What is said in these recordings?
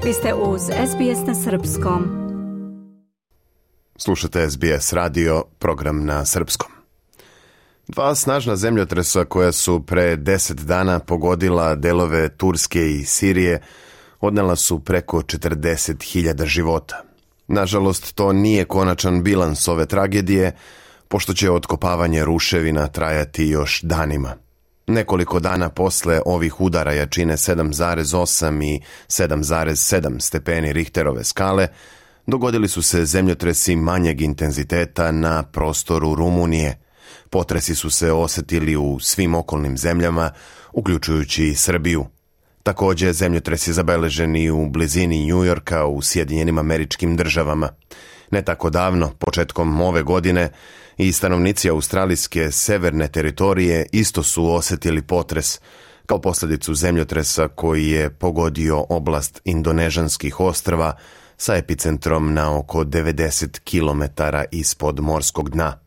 Vi ste uz SBS na srpskom. Slušate SBS radio, program na srpskom. Dva snažna zemljotresa koja su pre 10 dana pogodila delove Turske i Sirije odnela su preko 40.000 života. Nažalost, to nije konačan bilans ove tragedije, pošto će otkopavanje ruševina trajati još danima. Nekoliko dana posle ovih udara jačine 7,8 i 7,7 stepeni Richterove skale dogodili su se zemljotresi manjeg intenziteta na prostoru Rumunije. Potresi su se osetili u svim okolnim zemljama, uključujući i Srbiju. Također, zemljotres je zabeležen i u blizini Njujorka u Sjedinjenim Američkim Državama. Ne tako davno, početkom ove godine, i stanovnici australijske severne teritorije isto su osetili potres, kao posljedicu zemljotresa koji je pogodio oblast Indonežanskih ostrva sa epicentrom na oko 90 km ispod morskog dna.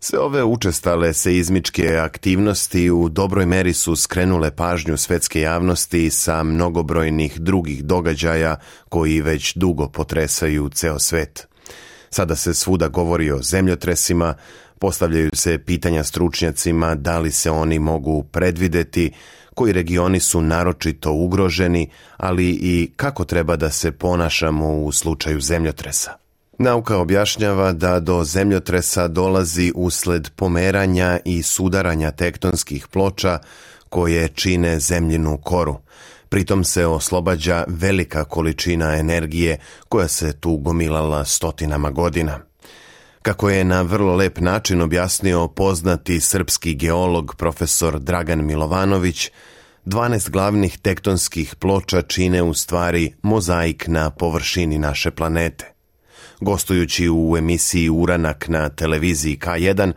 Sve ove učestale seizmičke aktivnosti u dobroj meri su skrenule pažnju svetske javnosti sa mnogobrojnih drugih događaja koji već dugo potresaju ceo svet. Sada se svuda govori o zemljotresima, postavljaju se pitanja stručnjacima da li se oni mogu predvideti, koji regioni su naročito ugroženi, ali i kako treba da se ponašamo u slučaju zemljotresa. Nauka objašnjava da do zemljotresa dolazi usled pomeranja i sudaranja tektonskih ploča koje čine zemljinu koru. Pritom se oslobađa velika količina energije koja se tu gomilala stotinama godina. Kako je na vrlo lep način objasnio poznati srpski geolog profesor Dragan Milovanović, 12 glavnih tektonskih ploča čine u stvari mozaik na površini naše planete. Gostujući u emisiji Uranak na televiziji K1,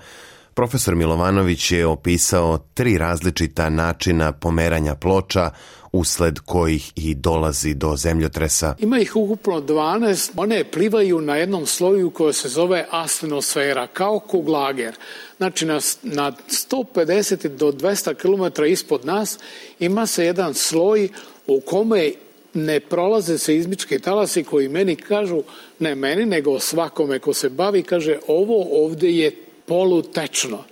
profesor Milovanović je opisao 3 različita načina pomeranja ploča usled kojih i dolazi do zemljotresa. Ima ih ukupno 12. One plivaju na jednom sloju koji se zove astenosfera, kao kuglager. Znači na 150 do 200 km ispod nas ima se jedan sloj u kome ne prolaze seizmički talasi koji meni kažu, ne meni nego svakome ko se bavi, kaže ovo ovdje je polutečno.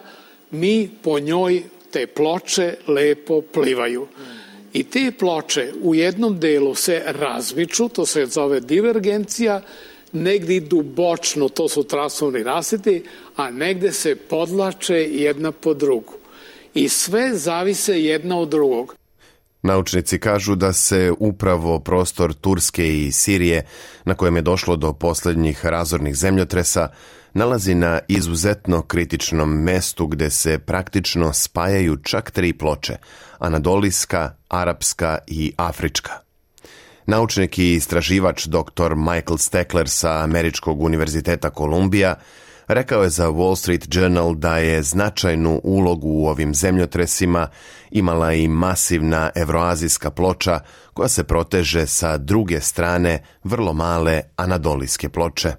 Mi po njoj te ploče lepo plivaju. I te ploče u jednom delu se razmiču, to se zove divergencija, negdje idu bočno, to su trasovni rasvjeti, a negdje se podlače jedna po drugu. I sve zavise jedna od drugog. Naučnici kažu da se upravo prostor Turske i Sirije, na kojem je došlo do posljednjih razornih zemljotresa, nalazi na izuzetno kritičnom mestu gdje se praktično spajaju čak 3 ploče, anadolijska, arapska i afrička. Naučnik i istraživač dr. Michael Steckler sa Američkog univerziteta Kolumbija rekao je za Wall Street Journal da je značajnu ulogu u ovim zemljotresima imala i masivna evroazijska ploča koja se proteže sa druge strane vrlo male anadolijske ploče.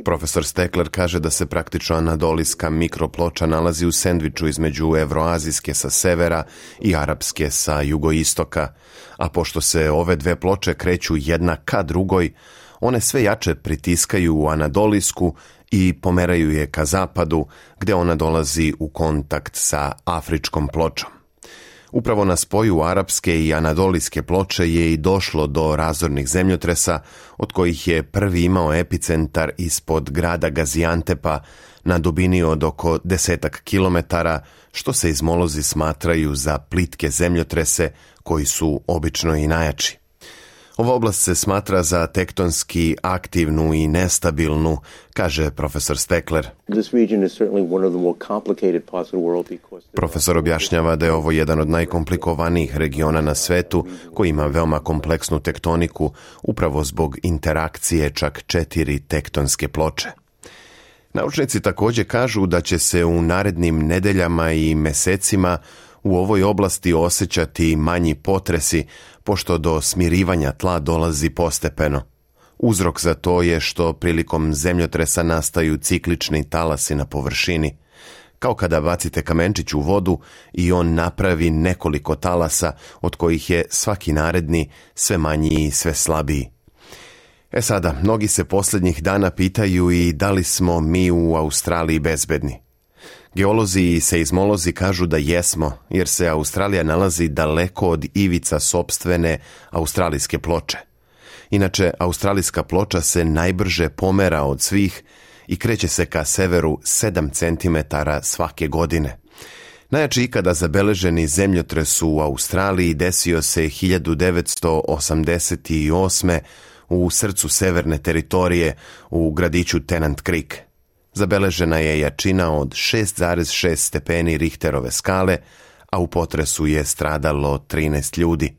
Profesor Steckler kaže da se praktično anadolijska mikroploča nalazi u sendviču između evroazijske sa severa i arapske sa jugoistoka, a pošto se ove dve ploče kreću jedna ka drugoj, one sve jače pritiskaju u anadolijsku i pomeraju je ka zapadu, gdje ona dolazi u kontakt sa afričkom pločom. Upravo na spoju arapske i anadolijske ploče je i došlo do razornih zemljotresa, od kojih je prvi imao epicentar ispod grada Gaziantepa na dubini od oko 10 kilometara, što se izmolozi smatraju za plitke zemljotrese koji su obično i najjači. Ova oblast se smatra za tektonski aktivnu i nestabilnu, kaže profesor Steckler. Profesor objašnjava da je ovo jedan od najkomplikovanijih regiona na svetu koji ima veoma kompleksnu tektoniku upravo zbog interakcije čak 4 tektonske ploče. Naučnici također kažu da će se u narednim nedeljama i mesecima u ovoj oblasti osjećati manji potresi, pošto do smirivanja tla dolazi postepeno. Uzrok za to je što prilikom zemljotresa nastaju ciklični talasi na površini. kao kada bacite kamenčić u vodu i on napravi nekoliko talasa, od kojih je svaki naredni sve manji i sve slabiji. Sada, mnogi se posljednjih dana pitaju i da li smo mi u Australiji bezbedni. Geolozi i seizmolozi kažu da jesmo, jer se Australija nalazi daleko od ivica sopstvene australijske ploče. Inače, australijska ploča se najbrže pomera od svih i kreće se ka severu 7 cm svake godine. Najjači ikada zabeleženi zemljotres u Australiji desio se 1988. u srcu severne teritorije u gradiću Tennant Creek. Zabeležena je jačina od 6,6 stepeni Richterove skale, a u potresu je stradalo 13 ljudi.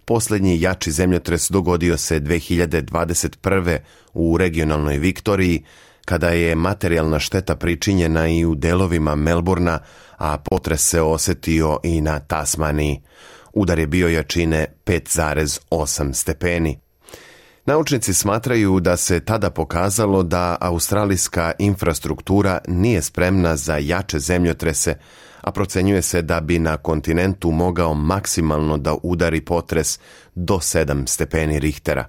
Posljednji jači zemljotres dogodio se 2021. u regionalnoj Viktoriji, kada je materijalna šteta pričinjena i u delovima Melbourna, a potres se osetio i na Tasmaniji. Udar je bio jačine 5,8 stepeni. Naučnici smatraju da se tada pokazalo da australijska infrastruktura nije spremna za jače zemljotrese, a procenjuje se da bi na kontinentu mogao maksimalno da udari potres do 7 stepeni Richtera.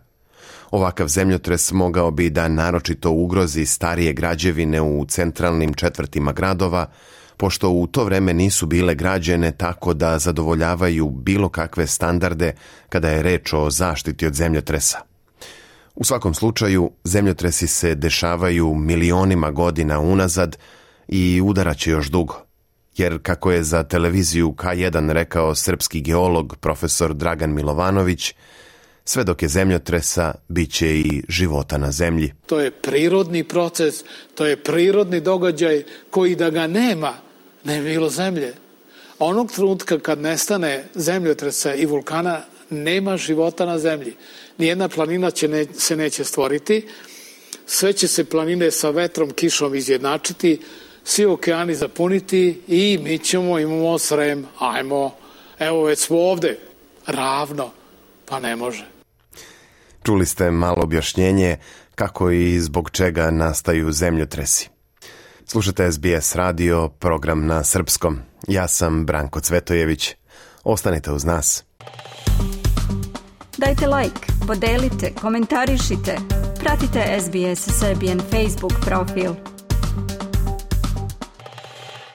Ovakav zemljotres mogao bi da naročito ugrozi starije građevine u centralnim četvrtima gradova, pošto u to vreme nisu bile građene tako da zadovoljavaju bilo kakve standarde kada je reč o zaštiti od zemljotresa. U svakom slučaju, zemljotresi se dešavaju milionima godina unazad i udaraće još dugo. Jer, kako je za televiziju K1 rekao srpski geolog profesor Dragan Milovanović, sve dok je zemljotresa, bit će i života na zemlji. To je prirodni proces, to je prirodni događaj koji da ga nema, ne bi bilo zemlje. Onog trenutka kad nestane zemljotresa i vulkana, nema života na zemlji. Nijedna planina se neće stvoriti, sve će se planine sa vetrom, kišom izjednačiti, svi okeani zapuniti i mi imamo Srem, evo već smo ovde, ravno, pa ne može. Čuli ste malo objašnjenje kako i zbog čega nastaju zemljotresi. Slušate SBS radio, program na srpskom. Ja sam Branko Cvetojević. Ostanite uz nas. Dajte like, podelite, komentarišite. Pratite SBS Serbian Facebook profil.